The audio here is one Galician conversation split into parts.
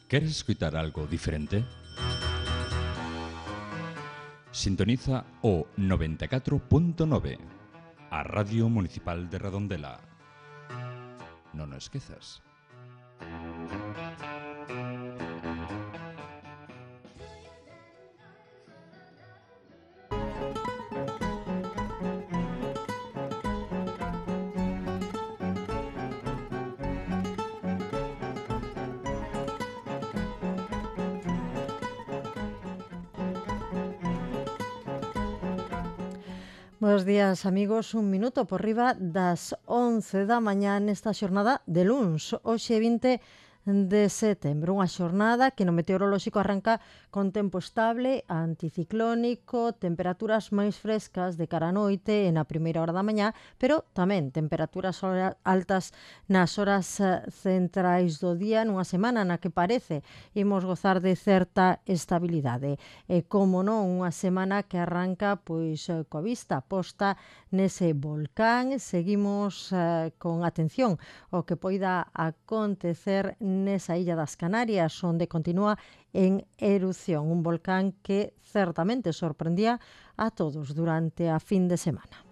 ¿Queres escutar algo diferente? Sintoniza o 94.9, a Radio Municipal de Redondela. Non o esquezas. Buenos días, amigos. Un minuto por riba das 11 da mañá nesta xornada de luns, hoxe 20 de setembro. Unha xornada que no meteorolóxico arranca con tempo estable, anticiclónico, temperaturas máis frescas de cara a noite e na primeira hora da mañá, pero tamén temperaturas altas nas horas centrais do día, nunha semana na que parece imos gozar de certa estabilidade. E como non, unha semana que arranca pois coa vista posta nese volcán. Seguimos con atención ao que poida acontecer nesa illa das Canarias, onde continúa en erupción un volcán que certamente sorprendía a todos durante a fin de semana.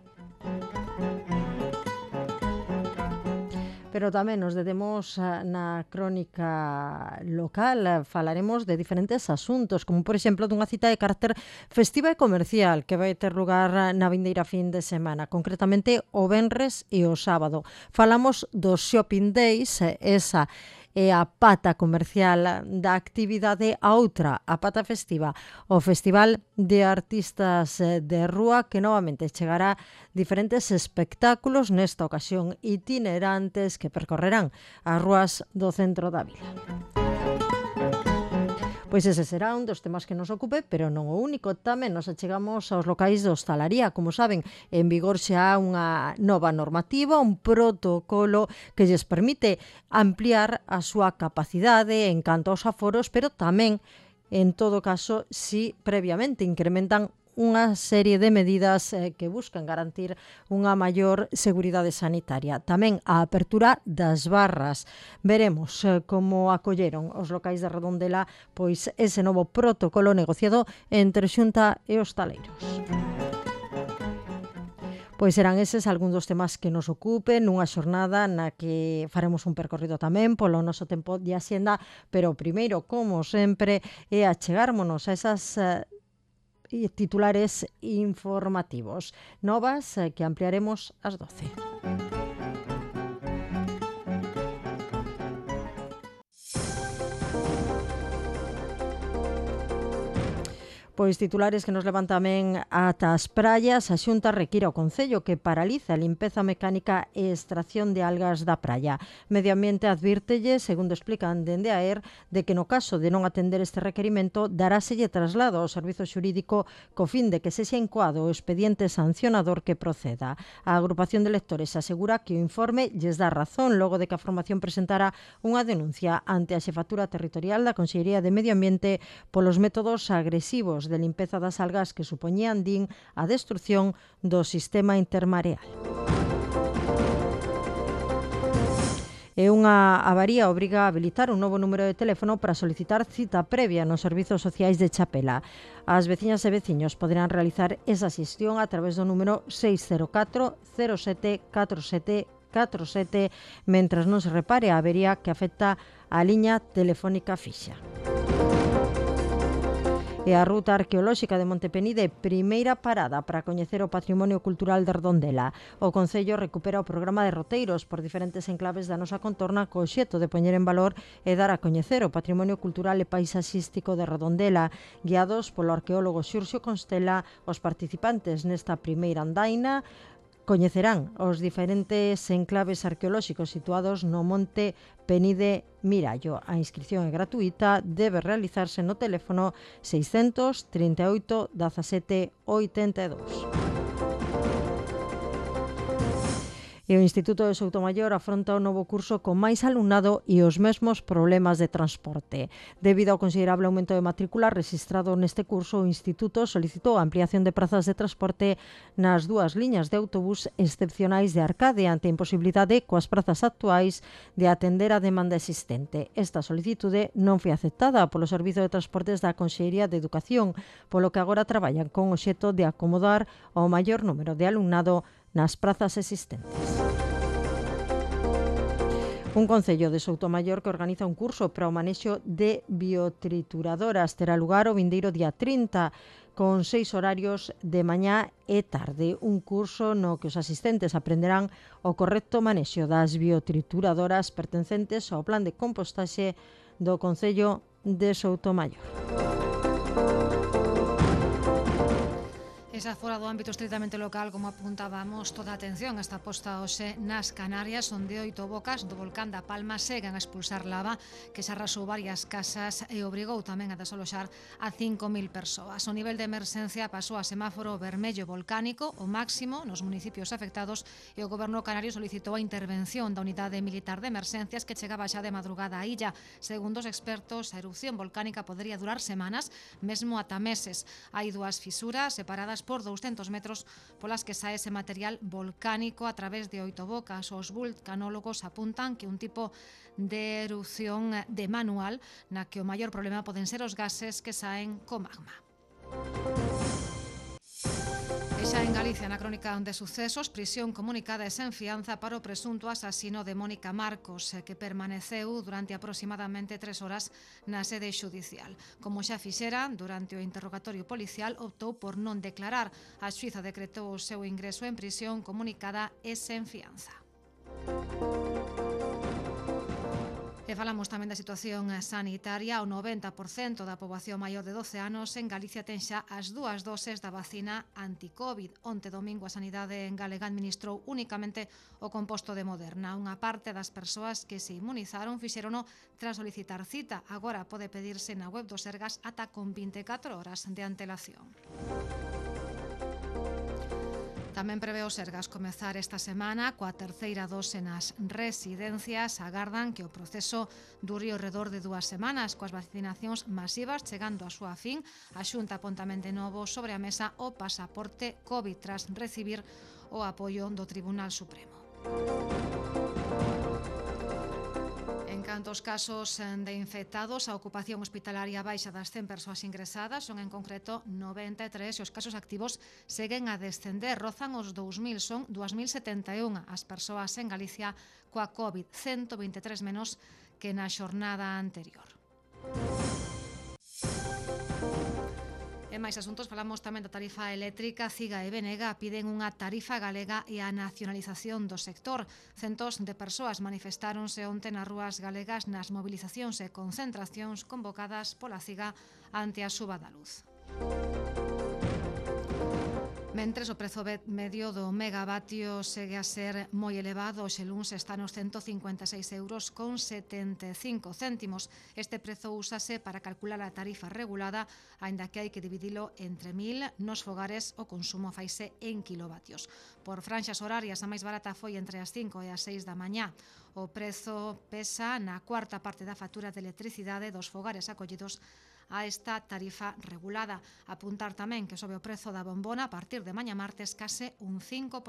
Pero tamén nos detemos na crónica local. Falaremos de diferentes asuntos, como por exemplo dunha cita de carácter festiva e comercial que vai ter lugar na vindeira fin de semana, concretamente o venres e o sábado. Falamos dos Shopping Days, esa é a pata comercial da actividade. A outra, a pata festiva, o Festival de Artistas de Rúa, que novamente chegará diferentes espectáculos, nesta ocasión itinerantes, que percorrerán as rúas do centro da vila. Pois ese será un dos temas que nos ocupe, pero non o único. Tamén nos achegamos aos locais de hostalaría. Como saben, en vigor xa unha nova normativa, un protocolo que lles permite ampliar a súa capacidade en canto aos aforos, pero tamén, en todo caso, si previamente incrementan unha serie de medidas que buscan garantir unha maior seguridade sanitaria. Tamén a apertura das barras. Veremos como acolleron os locais de Redondela pois ese novo protocolo negociado entre Xunta e hostaleiros. Pois serán eses algúns dos temas que nos ocupen nunha xornada na que faremos un percorrido tamén polo noso tempo de axenda, pero primeiro, como sempre, é achegármonos a esas titulares informativos novas que ampliaremos ás 12. Pois titulares que nos levan tamén ata as praias. A Xunta require ao Concello que paralice a limpeza mecánica e extracción de algas da praia. Medio Ambiente advírtelle, segundo explican dende a ER, de que no caso de non atender este requerimento daráselle traslado ao Servizo Xurídico co fin de que sexa incoado o expediente sancionador que proceda. A agrupación de lectores asegura que o informe lles dá razón logo de que a formación presentara unha denuncia ante a Xefatura Territorial da Consellería de Medio Ambiente polos métodos agresivos de limpeza das algas que supoñían, din, a destrucción do sistema intermareal. E unha avaría obriga a habilitar un novo número de teléfono para solicitar cita previa nos servizos sociais de Chapela. As veciñas e veciños poderán realizar esa xestión a través do número 604 07 47 47, mentras non se repare a avería que afecta a liña telefónica fixa. E a Ruta Arqueolóxica de Montepenide, primeira parada para coñecer o patrimonio cultural de Redondela. O Concello recupera o programa de roteiros por diferentes enclaves da nosa contorna co obxecto de poñer en valor e dar a coñecer o patrimonio cultural e paisaxístico de Redondela. Guiados polo arqueólogo Xurxo Constela, os participantes nesta primeira andaina coñecerán os diferentes enclaves arqueolóxicos situados no Monte Penide Mirallo. A inscripción é gratuita, debe realizarse no teléfono 638 17 82. E o Instituto de Soutomaior afronta o novo curso con máis alumnado e os mesmos problemas de transporte. Debido ao considerable aumento de matrícula registrado neste curso, o Instituto solicitou a ampliación de prazas de transporte nas dúas liñas de autobús excepcionais de Arcade ante a imposibilidade coas prazas actuais de atender a demanda existente. Esta solicitude non foi aceptada polo Servizo de Transportes da Consellería de Educación, polo que agora traballan con o obxecto de acomodar ao maior número de alumnado nas prazas existentes. Un concello de Soutomaior que organiza un curso para o manexo de biotrituradoras terá lugar o vindeiro día 30 con 6 horarios de mañá e tarde. Un curso no que os asistentes aprenderán o correcto manexo das biotrituradoras pertencentes ao plan de compostaxe do Concello de Soutomaior. Esa fora do ámbito estritamente local, como apuntábamos, toda a atención está posta hoxe nas Canarias, onde 8 bocas do volcán da Palma seguen a expulsar lava que se arrasou varias casas e obrigou tamén a desaloxar a 5.000 persoas. O nivel de emerxencia pasou a semáforo vermello volcánico, o máximo nos municipios afectados, e o goberno canario solicitou a intervención da unidade militar de emerxencias que chegaba xa de madrugada á illa. Segundo os expertos, a erupción volcánica podería durar semanas, mesmo ata meses. Hai dúas fisuras separadas por 200 metros polas que sae ese material volcánico a través de 8 bocas. Os vulcanólogos apuntan que un tipo de erupción de manual na que o maior problema poden ser os gases que saen co magma. E xa en Galicia, na crónica de sucesos, prisión comunicada e sen fianza para o presunto asasino de Mónica Marcos, que permaneceu durante aproximadamente 3 horas na sede xudicial. Como xa fixera, durante o interrogatorio policial, optou por non declarar. A xuíza decretou o seu ingreso en prisión comunicada e sen fianza. E falamos tamén da situación sanitaria. O 90% da poboación maior de 12 anos en Galicia ten xa as 2 doses da vacina anti-Covid. Onte domingo a Sanidade galega administrou únicamente o composto de Moderna. Unha parte das persoas que se inmunizaron fixérono tras solicitar cita. Agora pode pedirse na web do Sergas ata con 24 horas de antelación. Tamén prevé o Sergas comezar esta semana coa terceira dose nas residencias. Agardan que o proceso dure ao redor de 2 semanas, coas vacinacións masivas chegando á súa fin. A Xunta pon tamén de novo sobre a mesa o pasaporte COVID tras recibir o apoio do Tribunal Supremo. En canto aos casos de infectados, a ocupación hospitalaria baixa das 100 persoas ingresadas, son en concreto 93, e os casos activos seguen a descender, rozan os 2.000, son 2.071 as persoas en Galicia coa COVID, 123 menos que na xornada anterior. En máis asuntos falamos tamén da tarifa eléctrica. Ciga e Benega piden unha tarifa galega e a nacionalización do sector. Centos de persoas manifestáronse onte nas rúas galegas nas movilizacións e concentracións convocadas pola Ciga ante a suba da luz. Mentres o prezo medio do megavatio segue a ser moi elevado, hoxe luns está nos 156 euros con 75 céntimos. Este prezo úsase para calcular a tarifa regulada, aínda que hai que dividilo entre 1.000 nos fogares, o consumo faise en kilovatios. Por franxas horarias, a máis barata foi entre as 5 e as 6 da mañá. O prezo pesa na cuarta parte da factura de electricidade dos fogares acollidos a esta tarifa regulada. Apuntar tamén que sobe o prezo da bombona a partir de mañá martes case un 5%.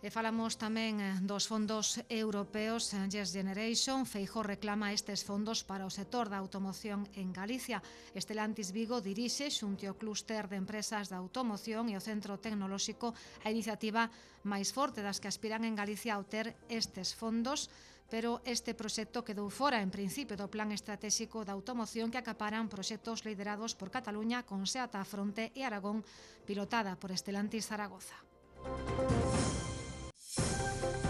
E falamos tamén dos fondos europeos Next Generation. Feijóo reclama estes fondos para o sector da automoción en Galicia. Stellantis Vigo dirixe xunto ao clúster de empresas da automoción e o centro tecnolóxico a iniciativa máis forte das que aspiran en Galicia a obter estes fondos, pero este proxecto quedou fora en principio do plan estratégico da automoción que acaparan proxectos liderados por Cataluña con Seat á fronte e Aragón, pilotada por Stellantis Zaragoza.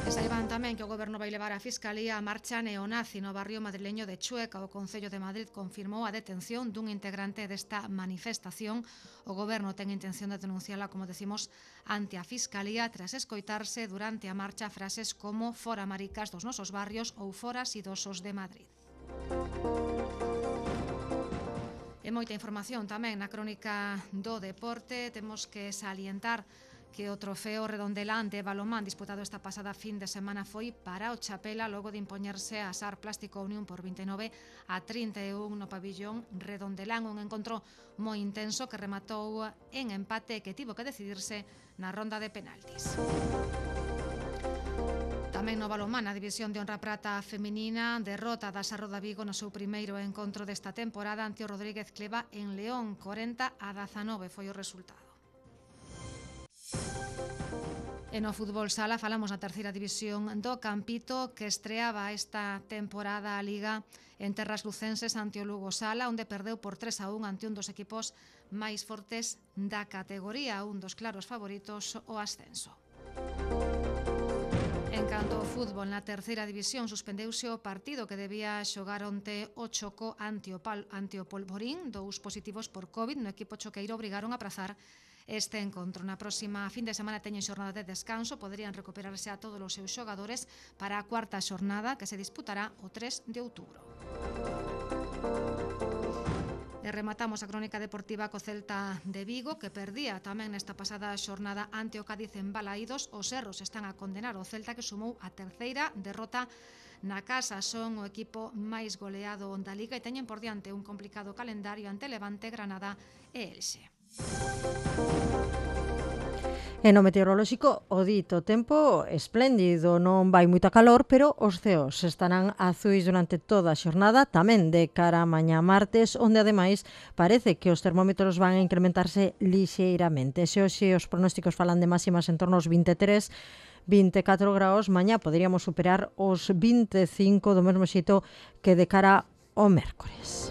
E saiban tamén que o Goberno vai levar a Fiscalía a marcha neonazi no barrio madrileño de Chueca. O Concello de Madrid confirmou a detención dun integrante desta manifestación. O Goberno ten intención de denunciala, como decimos, ante a Fiscalía tras escoitarse durante a marcha frases como "fora maricas dos nosos barrios" ou "fora idosos de Madrid". E E moita información tamén na crónica do deporte. Temos que salientar que o trofeo redondelán de balonmán disputado esta pasada fin de semana foi para o Chapela logo de impoñerse a SAR Plástico Unión por 29-31 no pabillón redondelán, un encontro moi intenso que rematou en empate e que tivo que decidirse na ronda de penaltis. Tamén no balonmán, a división de honra prata feminina, derrota da Sarroda Vigo no seu primeiro encontro desta temporada ante o Rodríguez Cleva en León, 40-19 foi o resultado. E no fútbol sala falamos na terceira división do Campito, que estreaba esta temporada a Liga en terras lucenses ante o Lugo Sala, onde perdeu por 3-1 ante un dos equipos máis fortes da categoría, un dos claros favoritos o ascenso. En canto ao fútbol, na terceira división suspendeuse o partido que debía xogar onte o Choco ante o Polvorín. 2 positivos por COVID no equipo choqueiro obrigaron a aprazar este encontro. Na próxima fin de semana teñen xornada de descanso, poderían recuperarse a todos os seus xogadores para a cuarta xornada que se disputará o 3 de outubro. E rematamos a crónica deportiva co Celta de Vigo, que perdía tamén nesta pasada xornada ante o Cádiz en Balaídos. Os erros están a condenar o Celta, que sumou a terceira derrota na casa. Son o equipo máis goleado da Liga e teñen por diante un complicado calendario ante Levante, Granada e Elxe. E no meteorolóxico, o dito tempo espléndido, non vai moita calor, pero os ceos estarán azuis durante toda a xornada, tamén de cara a mañá martes, onde ademais parece que os termómetros van a incrementarse lixeiramente. Se hoxe os pronósticos falan de máximas en torno aos 23, 24 graus, mañá poderíamos superar os 25 do mesmo xeito que de cara ao mércores.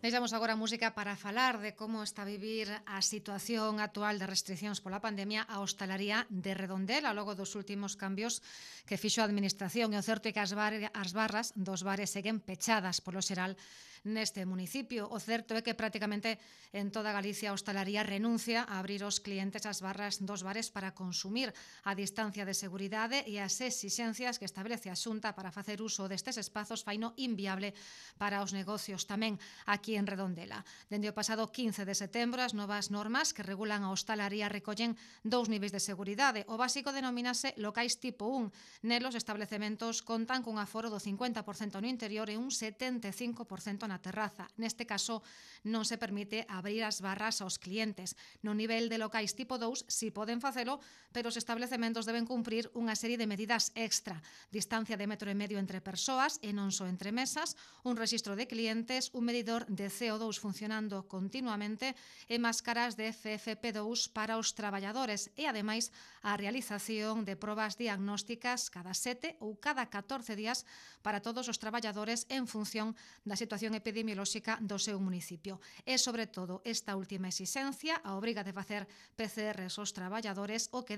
Deixamos agora a música para falar de como está a vivir a situación actual de restriccións pola pandemia a hostalaría de Redondela logo dos últimos cambios que fixo a administración. E o certo é que as barras dos bares seguen pechadas polo xeral neste municipio. O certo é que prácticamente en toda Galicia a hostalaría renuncia a abrir os clientes as barras dos bares para consumir a distancia de seguridade e as exixencias que establece a Xunta para facer uso destes espazos faino inviable para os negocios tamén aquí en Redondela. Dende o pasado 15 de setembro, as novas normas que regulan a hostalaría recollen 2 niveis de seguridade. O básico denomínase locais tipo 1. Nelos establecementos contan cun aforo do 50% no interior e un 75% na terraza. Neste caso, non se permite abrir as barras aos clientes. No nivel de locais tipo 2, si poden facelo, pero os establecementos deben cumprir unha serie de medidas extra. Distancia de 1,5 metro entre persoas e non só entre mesas, un rexistro de clientes, un medidor de CO2 funcionando continuamente e máscaras de FFP2 para os traballadores e, ademais, a realización de probas diagnósticas cada 7 ou cada 14 días para todos os traballadores en función da situación epidemiolóxica do seu municipio. E, sobre todo, esta última exixencia, a obriga de facer PCRs aos traballadores, o que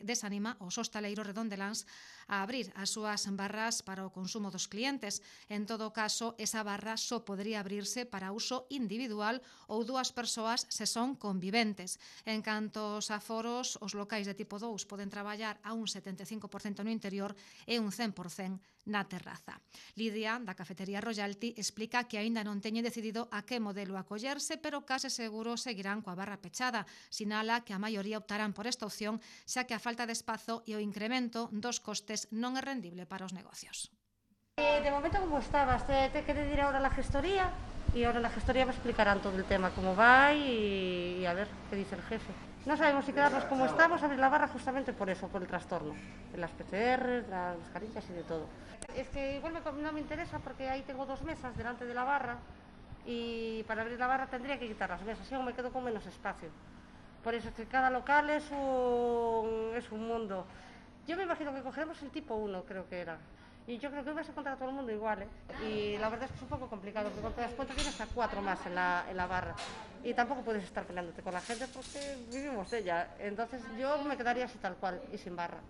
desanima os hostaleiros redondeláns a abrir as súas barras para o consumo dos clientes. En todo caso, esa barra só podría abrirse para uso individual ou 2 persoas se son conviventes. En canto aos aforos, os locais de tipo 2 poden traballar a un 75% no interior e un 100% na terraza. Lidia, da cafetería Royalty, explica que aínda non teñen decidido a que modelo acollerse, pero case seguro seguirán coa barra pechada. Sinala que a maioría optarán por esta opción, xa que a falta de espazo e o incremento dos costes non é rendible para os negocios. De momento, como estabas, te querer ir ahora a la gestoría y ahora en la gestoría me explicarán todo el tema, cómo va y a ver qué dice el jefe. No sabemos si quedarnos como estamos, abrir la barra justamente por eso, por el trastorno, de las PCR, las mascarillas y de todo. Es que igual no me interesa porque ahí tengo 2 mesas delante de la barra y para abrir la barra tendría que quitar las mesas, y aún me quedo con menos espacio. Por eso es que cada local es un mundo. Yo me imagino que cogeremos el tipo 1, creo que era. Y yo creo que vas a encontrar a todo el mundo igual, ¿eh? Y la verdad es que es un poco complicado, porque cuando te das cuenta tienes a 4 más en la barra. Y tampoco puedes estar peleándote con la gente porque vivimos de ella. Entonces yo me quedaría así tal cual y sin barra.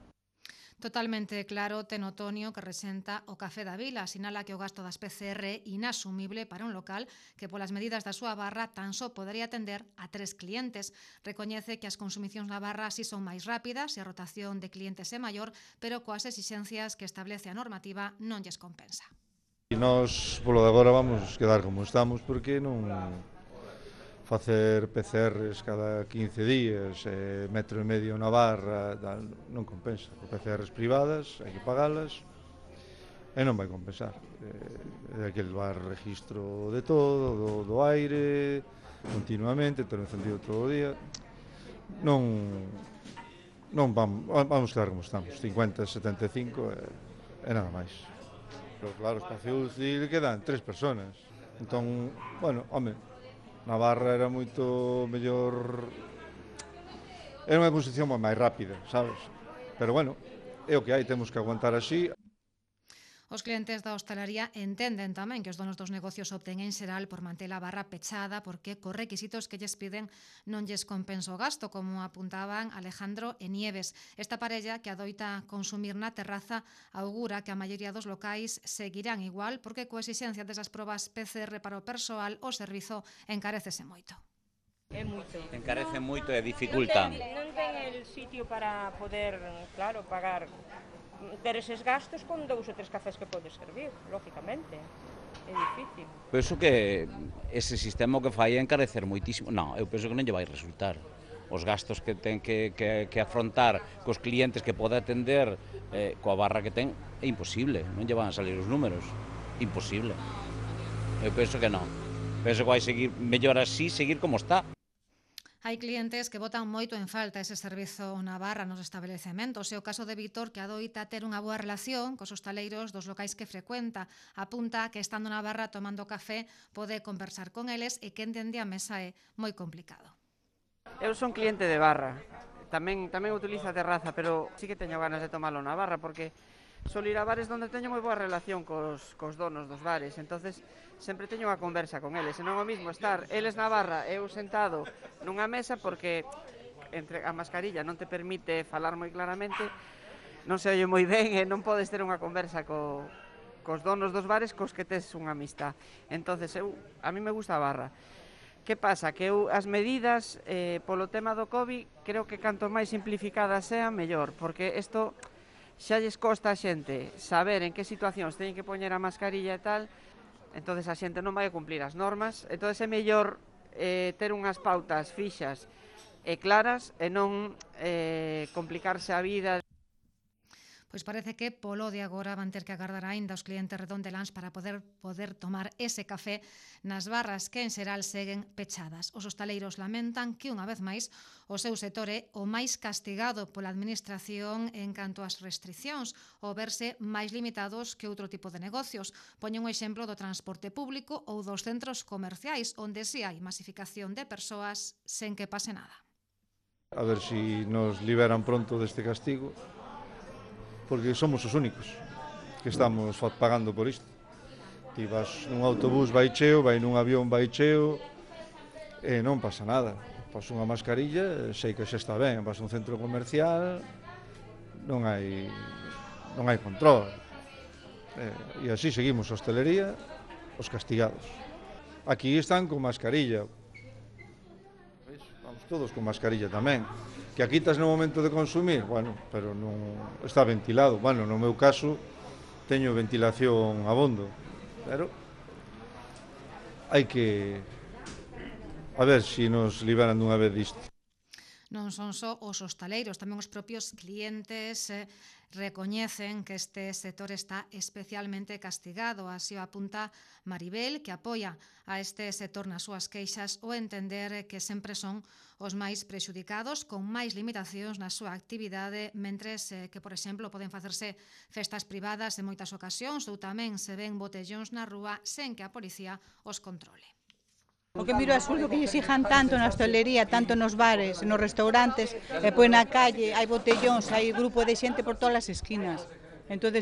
Totalmente claro ten Otonio que resenta o Café da Vila. Sinala que o gasto das PCR é inasumible para un local que polas medidas da súa barra tan só podería atender a 3 clientes. Recoñece que as consumicións na barra así son máis rápidas e a rotación de clientes é maior, pero coas exixencias que establece a normativa non lles compensa. E nós, polo de agora, vamos quedar como estamos porque non facer PCRs cada 15 días, 1,5 metro na barra, non compensa. PCRs privadas, hai que pagalas e non vai compensar. Hai que levar registro de todo, do aire, continuamente, ter encendido todo o día. Non vamos quedar como estamos, 50, 75 e nada máis. Pero claro, o espacio UCI quedan 3 personas. Entón, bueno, home, na barra era moito mellor, era unha posición máis rápida, sabes? Pero bueno, é o que hai, temos que aguantar así. Os clientes da hostalaría entenden tamén que os donos dos negocios opten en xeral por manter a barra pechada porque cos requisitos que lles piden non lles compensa o gasto, como apuntaban Alejandro e Nieves. Esta parella que adoita consumir na terraza augura que a maioría dos locais seguirán igual porque coa exigencia desas probas PCR para o persoal o servizo encarécese moito. É moito. Encarece moito e dificultan. Non ten el sitio para poder, claro, pagar ter eses gastos con 2 ou 3 cafés que podes servir, lógicamente. É difícil. Penso que ese sistema que fai é encarecer moitísimo. Non, eu penso que non lle vai resultar. Os gastos que ten que afrontar cos clientes que pode atender coa barra que ten é imposible. Non lle van a salir os números. Imposible. Eu penso que non. Penso que vai seguir mellor así, seguir como está. Hai clientes que botan moito en falta ese servizo na barra nos establecementos. É o caso de Víctor, que adoita ter unha boa relación cos hostaleiros dos locais que frecuenta. Apunta que estando na barra tomando café pode conversar con eles e que entende a mesa é moi complicado. Eu son cliente de barra. Tamén utilizo a terraza, pero sí que teño ganas de tomalo na barra porque Solo ir a bares onde teño moi boa relación cos donos dos bares, entonces sempre teño unha conversa con eles, e non é o mismo estar eles na barra e eu sentado nunha mesa, porque entre a mascarilla non te permite falar moi claramente, non se oye moi ben e non podes ter unha conversa cos donos dos bares cos que tes unha amistad. Entonces a mí me gusta a barra. Que pasa? Que eu as medidas polo tema do COVID creo que canto máis simplificadas sean mellor, porque isto xa lles costa a xente saber en que situacións teñen que poñer a mascarilla e tal, entonces a xente non vai a cumplir as normas, entonces é mellor ter unhas pautas fixas e claras e non complicarse a vida. Pois parece que polo de agora van ter que agardar aínda os clientes redondeláns para poder tomar ese café nas barras que en xeral seguen pechadas. Os hostaleiros lamentan que unha vez máis o seu sector é o máis castigado pola administración en canto ás restriccións, ou verse máis limitados que outro tipo de negocios. Poñen un exemplo do transporte público ou dos centros comerciais, onde si hai masificación de persoas sen que pase nada. A ver si nos liberan pronto deste castigo, porque somos os únicos que estamos pagando por isto. Ti vas nun autobús vai cheo, vai nun avión vai cheo, e non pasa nada. Pas unha mascarilla, sei que xa está ben, vas a un centro comercial, non hai control. E así seguimos a hostelería, os castigados. Aquí están con mascarilla. Vamos todos con mascarilla tamén. Que a quitas no momento de consumir, bueno, pero non está ventilado. Bueno, no meu caso teño ventilación abondo, pero hai que a ver se nos liberan dunha vez disto. Non son só os hostaleiros, tamén os propios clientes recoñecen que este sector está especialmente castigado. Así o apunta Maribel, que apoia a este sector nas súas queixas, o entender que sempre son os máis prexudicados, con máis limitacións na súa actividade, mentres que, por exemplo, poden facerse festas privadas en moitas ocasións, ou tamén se ven botellóns na rúa sen que a policía os controle. O que miro é absurdo que lle exijan tanto na hostelería, tanto nos bares, nos restaurantes, e pois na calle hai botellóns, hai grupo de xente por todas as esquinas. Entón,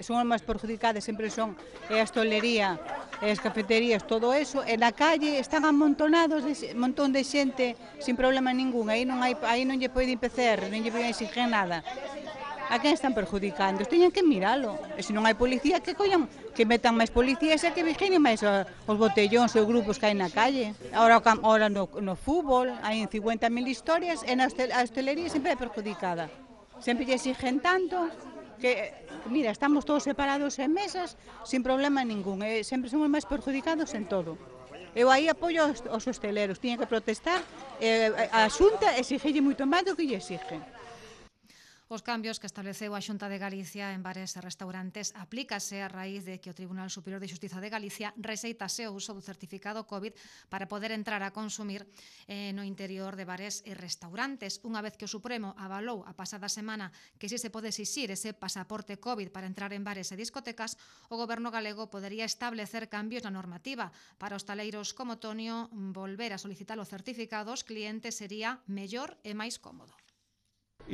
son as máis perjudicadas, sempre son a hostelería, as cafeterías, todo eso, e na calle están amontonados un montón de xente sin problema ningún, aí non lle poden PCR, non lle poden exigir nada. A quen están perjudicando? Teñen que miralo. E se non hai policía, que metan máis policías e que vigilen máis os botellóns e os grupos que hai na calle. Ahora no fútbol hai 50.000 historias e a hostelería sempre é perjudicada. Sempre lle exigen tanto que, mira, estamos todos separados en mesas sin problema ningún. E sempre somos máis perjudicados en todo. Eu aí apoio aos hosteleros. Tiñen que protestar a Xunta exigille moito máis do que lle exigen. Os cambios que estableceu a Xunta de Galicia en bares e restaurantes aplícase a raíz de que o Tribunal Superior de Xustiza de Galicia rexeitase o uso do certificado COVID para poder entrar a consumir no interior de bares e restaurantes. Unha vez que o Supremo avalou a pasada semana que si se pode exixir ese pasaporte COVID para entrar en bares e discotecas, o Goberno galego podería establecer cambios na normativa. Para hostaleiros como Tonio, volver a solicitar o certificado aos clientes sería mellor e máis cómodo.